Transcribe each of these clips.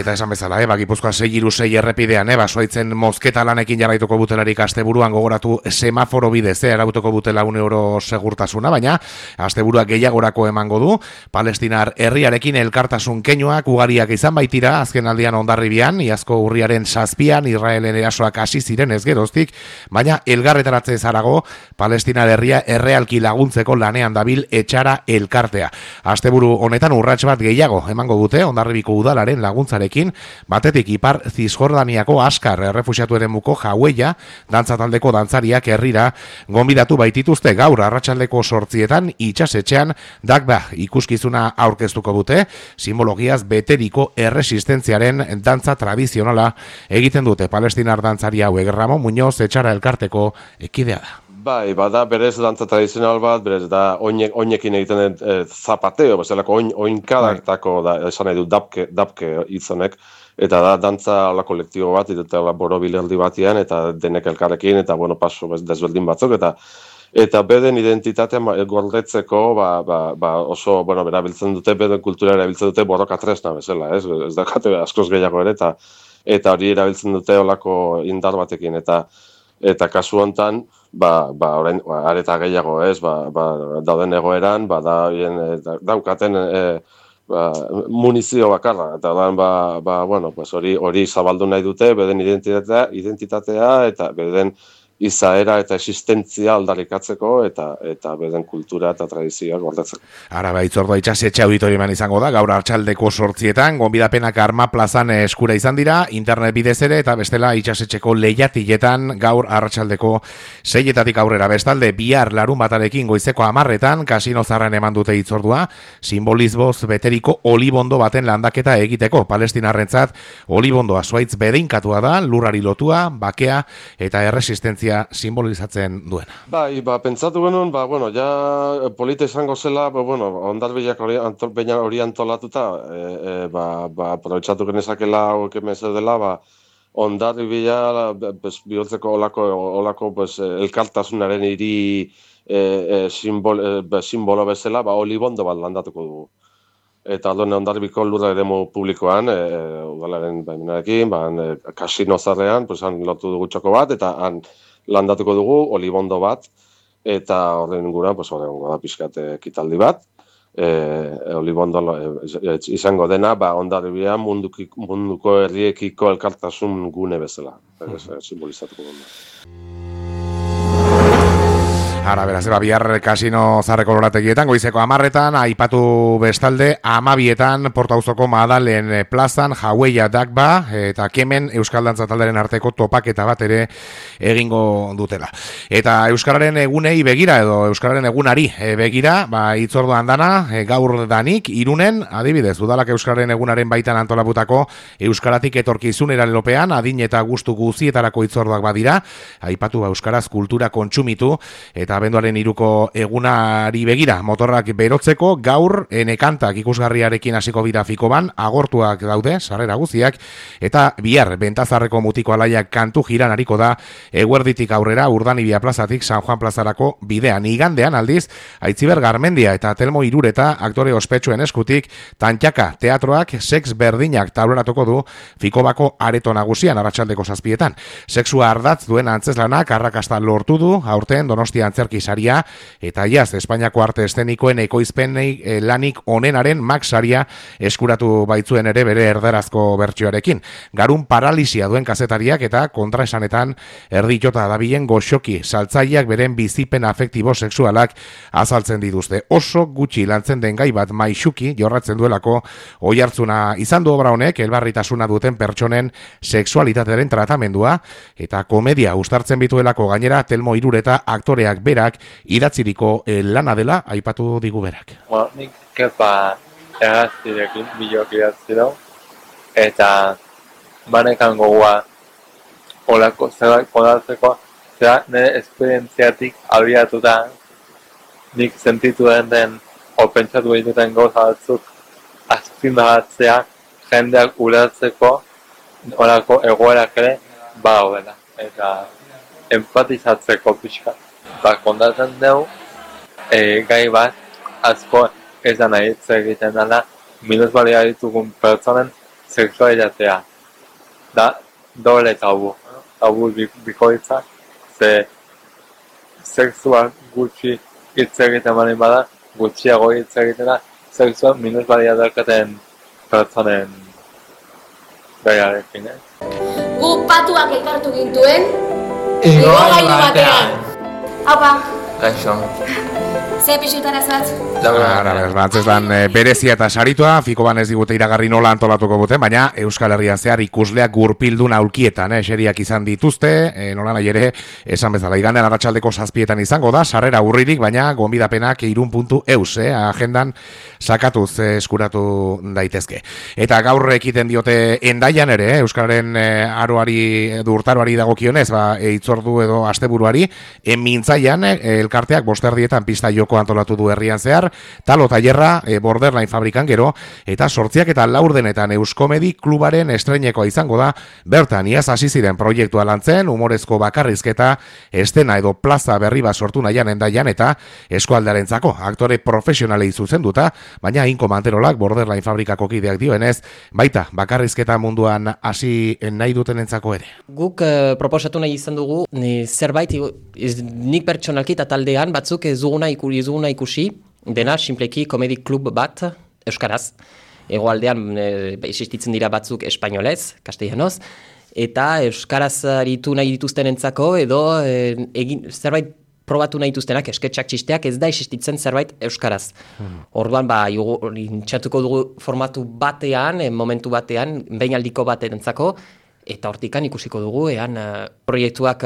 Eta esan bezala, Gipuzkoa 6-6 errepidean, basoaitzen mozketa lanekin jarraituko butelarik asteburuan gogoratu semaforo bidez, erautuko butela €1 segurtasuna, baina asteburua gehiagorako emango du. Palestinar herriarekin elkartasun keinuak ugariak izan baitira, azken aldian Hondarribian, iazko urriaren 7an Israelen erasoak hasi ziren ez geroztik, baina elgarretaratze zarago, Palestinar herria errealki laguntzeko lanean dabil etxara elkartea. Asteburu honetan urrats bat gehiago emango dute Hondarribiko udalaren laguntzarekin, batetik Ipar Zisjordaniako Askar errefuxiatu eremuko Jaueia dantza taldeko dantzariak herrira gonbidatu baitituzte gaur arratsaldeko 8etan itsasetxean Dakba ikuskizuna aurkeztuko dute, simbologiaz beteriko erresistentziaren dantza tradizionala egiten dute palestinar dantzari hauek. Ramon Muñoz etxara elkarteko ekidea da. Bai, bada berez dantza tradizional bat, berez da oinekin egiten zapateo, bezalako oinkadartako da, esan nahi du dapke izanek, eta da dantza ala kolektibo bat, eta borobilerdi batian, eta denek elkarrekin, eta paso desberdin batzuk, eta beden identitatea gordetzeko, oso, erabiltzen dute, beden kultura erabiltzen dute borroka tresna bezala, ez dakate askoz gehiago ere, eta hori erabiltzen dute olako indar batekin, eta kasu hontan, orain areta gehiago, ez, dauden egoeran, daukaten munizio bakarra, eta hori zabaldu nahi dute, beden identitatea, eta beden izaera eta existentzia aldarrikatzeko eta beden kultura eta tradizioa gordetzeko. Ara itzordua itsasetxe auditorioan izango da, gaur arratsaldeko 8etan, gonbidapenak Arma plazan eskura izan dira, internet bidez ere, eta bestela itsasetxeko lehiatiletan gaur arratsaldeko 6etatik aurrera. Bestalde, bihar larunbatarekin goizeko 10etan, Kasino Zarran eman dute itzordua, simbolizboz beteriko olibondo baten landaketa egiteko. Palestinarrentzat, olibondoa zuaitz bedeinkatua da, lurrari lotua, bakea eta erresistentzia simbolizatzen duena. Pentsatu genuen, ja polita izango zela, Hondarbilak hori antolatuta, aprobetxatu genezakela hauek emeze dela, Hondarribia bihurtzeko olako elkartasunaren hiri simbolo bezala, olibondo bat landatuko dugu. Eta Hondarribiko lurra eremu publikoan, udalaren baimenarekin, Kasino Zarrean, han lotu dugu txoko bat, eta han landatuko dugu olibondo bat, eta horren inguruan, horren pixkat ekitaldi bat, olibondo izango dena, Hondarribia munduko herriekiko elkartasun gune bezala, simbolizatuko dena. Ara, beraz, bihar Kasino Zarreko lorategietan, goizeko 10etan, aipatu bestalde, 12etan, Portauzoko Madalen plazan, Jaueia Dakba, eta Kemen Euskal Dantza talderen arteko topaketa bat ere egingo dutela. Eta Euskararen egunei begira, edo Euskararen egunari begira, itzorduan dana, gaur danik, Irunen, adibidez, udalak Euskararen egunaren baitan antolaputako Euskaratik etorkizunera lelopean, adin eta gustu guzietarako itzorduak badira, aipatu Euskaraz kultura kontsumitu, eta abenduaren 3ko egunari begira motorrak berotzeko gaur enekantak ikusgarriarekin hasiko bira Fikoban, agortuak daude, sarrera guztiak, eta bihar Bentazarreko mutiko alaiak kantu jiran hariko da eguerditik aurrera Urdanibia plazatik San Juan plazarako bidean. Igandean aldiz, Aitziber Garmendia eta Telmo Irureta aktore ospetsuen eskutik Tantxaka teatroak sex berdinak taularatuko du Fikobako areto nagusian arratsaldeko 7etan. Sexua ardatz duen antzeslanak arrakasta lortu du aurten Donostia antzerkisaria eta jaz Espainiako arte eszenikoen ekoizpenei lanik onenaren Max saria eskuratu baitzuen ere bere erdarazko bertsioarekin. Garun paralisia duen kazetariak eta kontraesanetan erditota dabilen goxoki saltzaileak beren bizipen afektibo sexualak azaltzen dituzte. Oso gutxi lantzen den gai bat maixuki jorratzen duelako oihartzuna izan du obra honek elbarritasuna duten pertsonen sexualitatearen tratamendua eta komedia uztartzen bituelako gainera Telmo Irureta aktoreak berak idatziriko lana dela aipatu digu berak. Nik kepa erraztirekin bilok idatziro eta banekan gogoa olako zerbait podatzeko zera nire esperientziatik abiatuta nik sentitu den o pentsatu egiten gauza batzuk azpimarratzea jendeak ulertzeko olako egoerak ere badaudela eta empatizatzeko pixka. Kontatzen dugu gai bat asko ez da nahi egiten dela minusbalia ditugun pertsonen sexualitatea da doble tabu bikoitza, ze sexual gutxi hitz egiten bali bada, gutxiago hitz egiten da, sexual minus balia daukaten pertsonen gaiarekin, Gu patuak elkartu gintuen, igogailu batean. Haupa, Gaixo. ze pixutara zatz? Antzeslan berezia eta saritua, fiko ban ez digute iragarri nola antolatuko dute, baina Euskal Herrian zehar ikusleak gurpildun aulkietan, eseriak izan dituzte, nola nahi ere, esan bezala, iganean arratsaldeko 7etan izango da, sarrera urririk, baina gonbidapenak irun.eus, agendan sakatuz eskuratu daitezke. Eta gaur ekiten diote Endaian ere, Euskararen urtaroari dagokionez, itzordu edo asteburuari, mintzaian elkarteak bosterdietan pista joko antolatu du herrian zehar, talo tailerra Borderline fabrikan gero, eta 8 eta 4 Euskomedi klubaren estreinekoa izango da, bertan iaz hasi ziren proiektua lantzen, humorezko bakarrizketa, estena edo plaza berri bat sortu nahian Endaian eta eskualdarentzako aktore profesionalei zuzenduta, baina Inko Manterolak Borderline fabrikako kideak dioenez, baita bakarrizketa munduan hasi nahi dutenentzako ere. Guk proposatu nahi izan dugu, zerbait, nik pertsonalki eta taldean batzuk ez duguna ikusi, dena simpleki komedi klub bat euskaraz. Hegoaldean existitzen dira batzuk espainolez, castellanoz, eta euskaraz aritu nahi dituztenentzako edo zerbait probatu nahi dituztenak, esketxak txisteak ez da existitzen zerbait euskaraz. Orduan, intxatuko dugu formatu batean, momentu batean, behinaldiko baterentzako, eta hortikan ikusiko dugu, proiektuak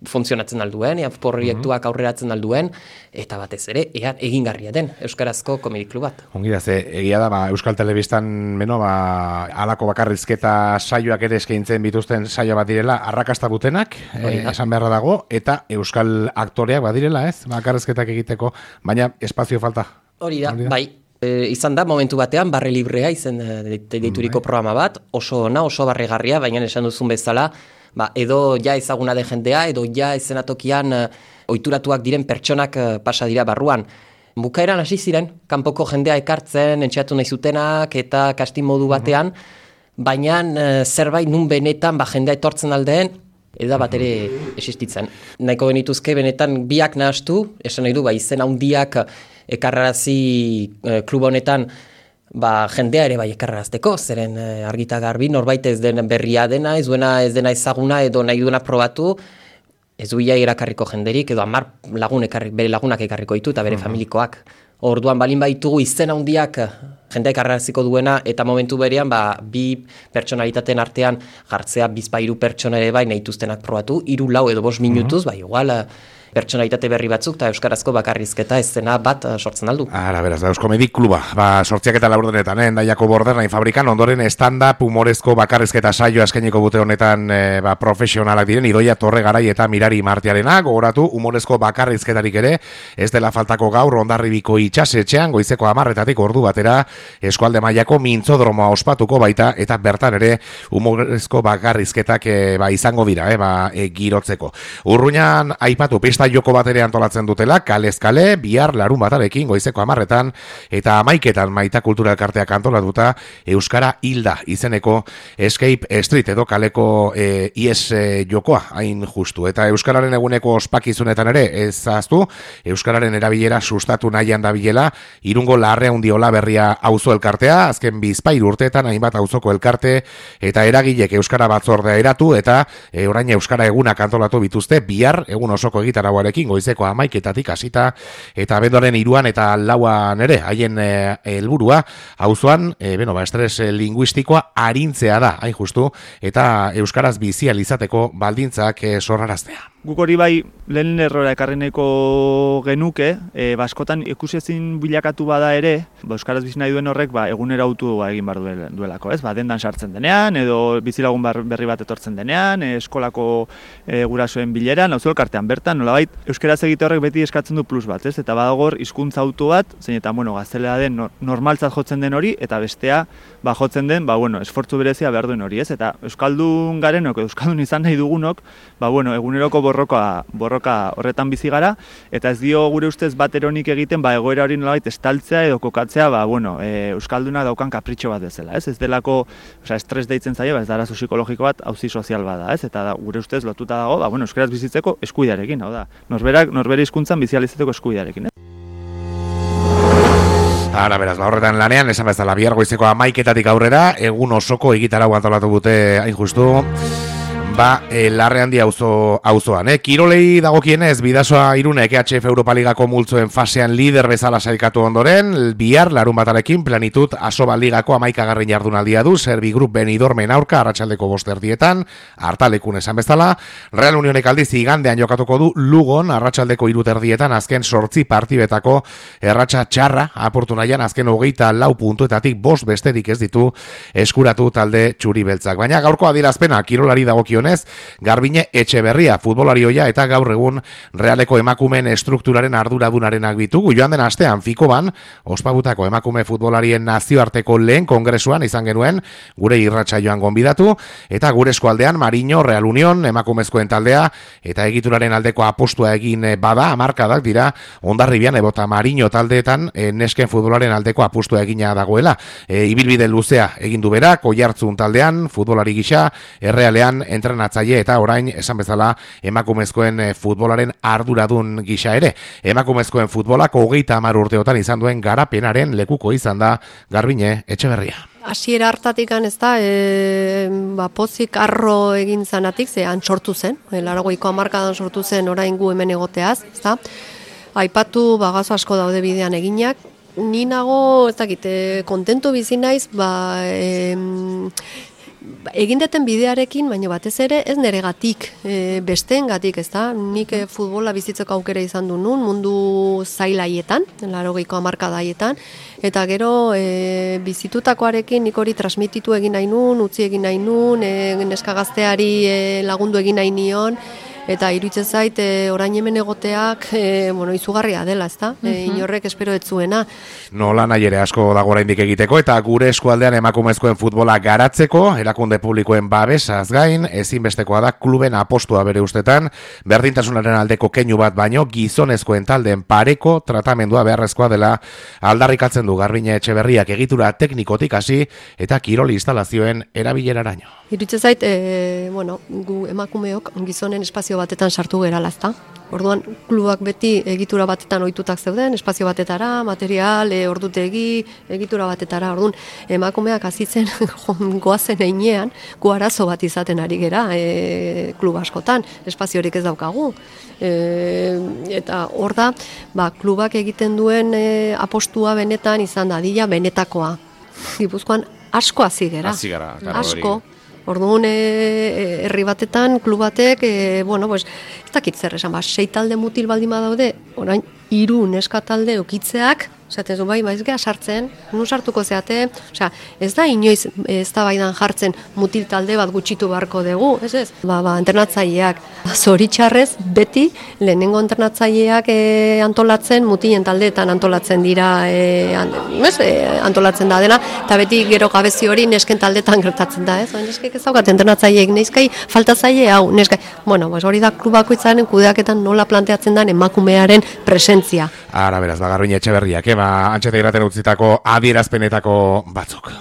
funtzionatzen alduen, proiektuak aurreratzen alduen, eta batez ere, egingarria den Euskarazko komedi klub bat. Ongi da, egia da, Euskal Telebistan halako bakarrizketa saioak ere eskaintzen bituzten saio bat direla, arrakasta butenak, esan beharra dago, eta Euskal aktoreak badirela, ez? Bakarrizketak egiteko, baina espazio falta. Hori da, bai. Izan da, momentu batean, barre librea izan deituriko programa bat, oso ona, oso barregarria, baina esan duzun bezala, edo ja ezaguna den jendea, edo ja ezenatokian ohituratuak diren pertsonak pasa dira barruan. Bukaeran hasi ziren, kanpoko jendea ekartzen, entxeatu nahi zutenak, eta kastin modu batean, baina zerbait nun benetan jendea etortzen aldeen, eda bat ere existitzen. Nahiko benituzke benetan biak nahastu, esan nahi du, izen handiak ekarrarazi klub honetan jendea ere ekarrarazteko, zeren argita garbi, norbait ez den berria dena, ez dena ezaguna edo nahi duena probatu, ez duia irakarriko jenderik, edo 10 bere lagunak ekarriko ditu eta bere familikoak. Orduan balin baitugu izen handiak jendea ekarraraziko duena, eta momentu berean bi pertsonalitateen artean jartzea 2-3 pertsona ere nahi dituztenak probatu, 3, 4 edo 5 minutuz, igual pertsonalitate berri batzuk eta euskarazko bakarrizketa eszena bat sortzen aldu. Beraz, Euskomedi kluba, 8 eta 4 Endaiako Borderline fabrikan, ondoren stand-up humorezko bakarrizketa saio eskainiko dute honetan profesionalak diren, Idoia Torregarai eta Mirari Martiarena, gogoratu humorezko bakarrizketarik ere, ez dela faltako gaur Hondarribiko itxasetxean, goizeko 10 ordu batera, eskualde mailako mintzodromoa ospatuko baita, eta bertan ere humorezko bakarrizketak izango dira, girotzeko. Urruñan aipatu pista joko bat ere antolatzen dutela, kalez kale, bihar larun batarekin goizeko 10 eta 11 Maita Kultura Elkarteak antolatuta Euskara Hilda izeneko Escape Street edo kaleko ies jokoa hain justu. Eta Euskararen eguneko ospakizunetan ere ez ahaztu, Euskararen erabilera sustatu nahian dabilela, Irungo Larreundiola berria auzo elkartea, azken 2 urteetan hainbat auzoko elkarte eta eragilek Euskara batzordea eratu eta orain Euskara egunak antolatu bituzte bihar egun osoko egitaragoarekin goizeko 11 hasita eta abenduaren 3 eta 4 ere haien helburua auzoan estres linguistikoa arintzea da, hain justu, eta euskaraz bizial izateko baldintzak sorraraztea. Guk hori lehen errora ekarri nahiko genuke, askotan ikusezin bilakatu bada ere, euskaraz bizi nahi duen horrek egunera autu egin bar duelako, ez? Dendan sartzen denean, edo bizilagun berri bat etortzen denean, eskolako gurasoen bileran, auzo elkartean bertan, nolabait euskaraz egite horrek beti eskatzen du plus bat, ez? Eta badagor hizkuntza auto bat, zein eta gaztelera den normaltzat jotzen den hori, eta bestea jotzen den, esfortzu berezia behar duen hori, ez? Eta euskaldun garenok, euskaldun izan nahi dugunok, eguneroko borroka horretan bizi gara, eta ez dio gure ustez bat eronik egiten egoera hori nolabait estaltzea edo kokatzea Euskalduna daukan kapritxo bat bezala, ez? Ez delako, estres deitzen zaio, ez da arazo psikologiko bat, auzi sozial bada, ez? Eta gure ustez lotuta dago, euskaraz bizitzeko eskubidearekin, hau da, norbere hizkuntzan bizializatzeko eskubidearekin, Ara, beraz, horretan lanean, esan bezala, bihar goizeko 11:00 aurrera, egun osoko egitarau antolatu dute, hain justu, Larre Handi auzoan. Kirolei dagokienez, Bidasoa Irunek EHF Europa Ligako multzoen fasean lider bezala sailkatu ondoren, bihar larunbatarekin Plenitud Asoba Ligako 11. jardunaldia du, Serbi Group Benidormen aurka arratsaldeko 5:00 hartalekun esan bezala. Real Unionek aldiz igandean jokatuko du Lugon arratsaldeko 3:00 azken 8 partibetako erratsa txarra apurtu nahian azken 24 puntuetatik 5 besterik ez ditu eskuratu talde txuri beltzak. Baina gaurko adierazpena kirolari dagokion Garbine Etxeberria futbolarioia eta gaur egun Realeko emakumeen estrukturaren arduradunarenak bitugu. Joan den astean Fikoban ospagutako emakume futbolarien nazioarteko lehen kongresuan izan genuen gure irratsaioan gonbidatu eta gure eskualdean Mariño Real Union emakumezkoen taldea eta egituraren aldeko apostua egin bada hamarkadak dira Hondarribian ebota Mariño taldeetan nesken futbolaren aldeko apostua egina dagoela. Ibilbide luzea egin du berak Oiartzun taldean futbolari gisa Errealean entrenatzaile eta orain esan bezala emakumezkoen futbolaren arduradun gisa ere. Emakumezkoen futbolak 30 urteotan izan duen garapenaren lekuko izan da Garbine Etxeberria. Hasiera hartatikan ez da, pozik arro egin zanatik, zean sortu zen, 80ko hamarkadan sortu zen orain gu hemen egoteaz, ez da. Aipatu gazo asko daude bidean eginak, ni nago, ez dakit, kontentu bizi naiz, egin deten bidearekin, baina batez ere ez neregatik, besteengatik, ez da? Nik futbola bizitzeko aukera izan du nun, mundu zailaietan, 80ko hamarkadaietan, eta gero bizitutakoarekin nik hori transmititu egin nahi nun, utzi egin nahi nun, neska gazteari lagundu egin nahi nion, eta iruditzen zait orain hemen egoteak izugarria dela, ezta? Inorrek espero ez zuena. Nola nahi ere asko dago oraindik egiteko eta gure eskualdean emakumezkoen futbola garatzeko, erakunde publikoen babesaz gain, ezinbestekoa da kluben apostua bere ustetan, berdintasunaren aldeko keinu bat baino gizonezkoen taldeen pareko tratamendua beharrezkoa dela aldarrikatzen du Garbine Etxeberriak egitura teknikotik hasi eta kiroli instalazioen erabileraraino. Iruditzen zait, gu emakumeok gizonen espazio batetan sartu gerala, ezta? Orduan, klubak beti egitura batetan ohitutak zeuden, espazio batetara, material, ordutegi, egitura batetara. Orduan, emakumeak hazitzen goazen heinean, gu arazo bat izaten ari gera klub askotan, espaziorik ez daukagu. Eta hor da, klubak egiten duen apostua benetan izan da, dila benetakoa. Gipuzkoan asko hazi gera. Hazi gara, asko. Orduan, herri batetan, klub batek, ez dakit zer esan, 6 talde mutil baldin badaude, orain 3 neska talde okitzeak, esaten zu, ez geha sartzen, nun sartuko zeate, ez da inoiz ez da baidan jartzen mutil talde bat gutxitu beharko dugu, ez? Entrenatzaileak, zoritxarrez, beti, lehenengo entrenatzaileak antolatzen, mutilen taldeetan antolatzen dira, antolatzen da dena, eta beti gero gabezi hori nesken taldeetan gertatzen da, ez? Neskek ez daukat entrenatzaileek, neskai faltatzaile hau, neskai. Hori da klubako izanen kudeaketan nola planteatzen den emakumearen presentzia. Ara, beraz, Garbine Etxeberriak, antxeta iraten utzitako adierazpenetako batzuk.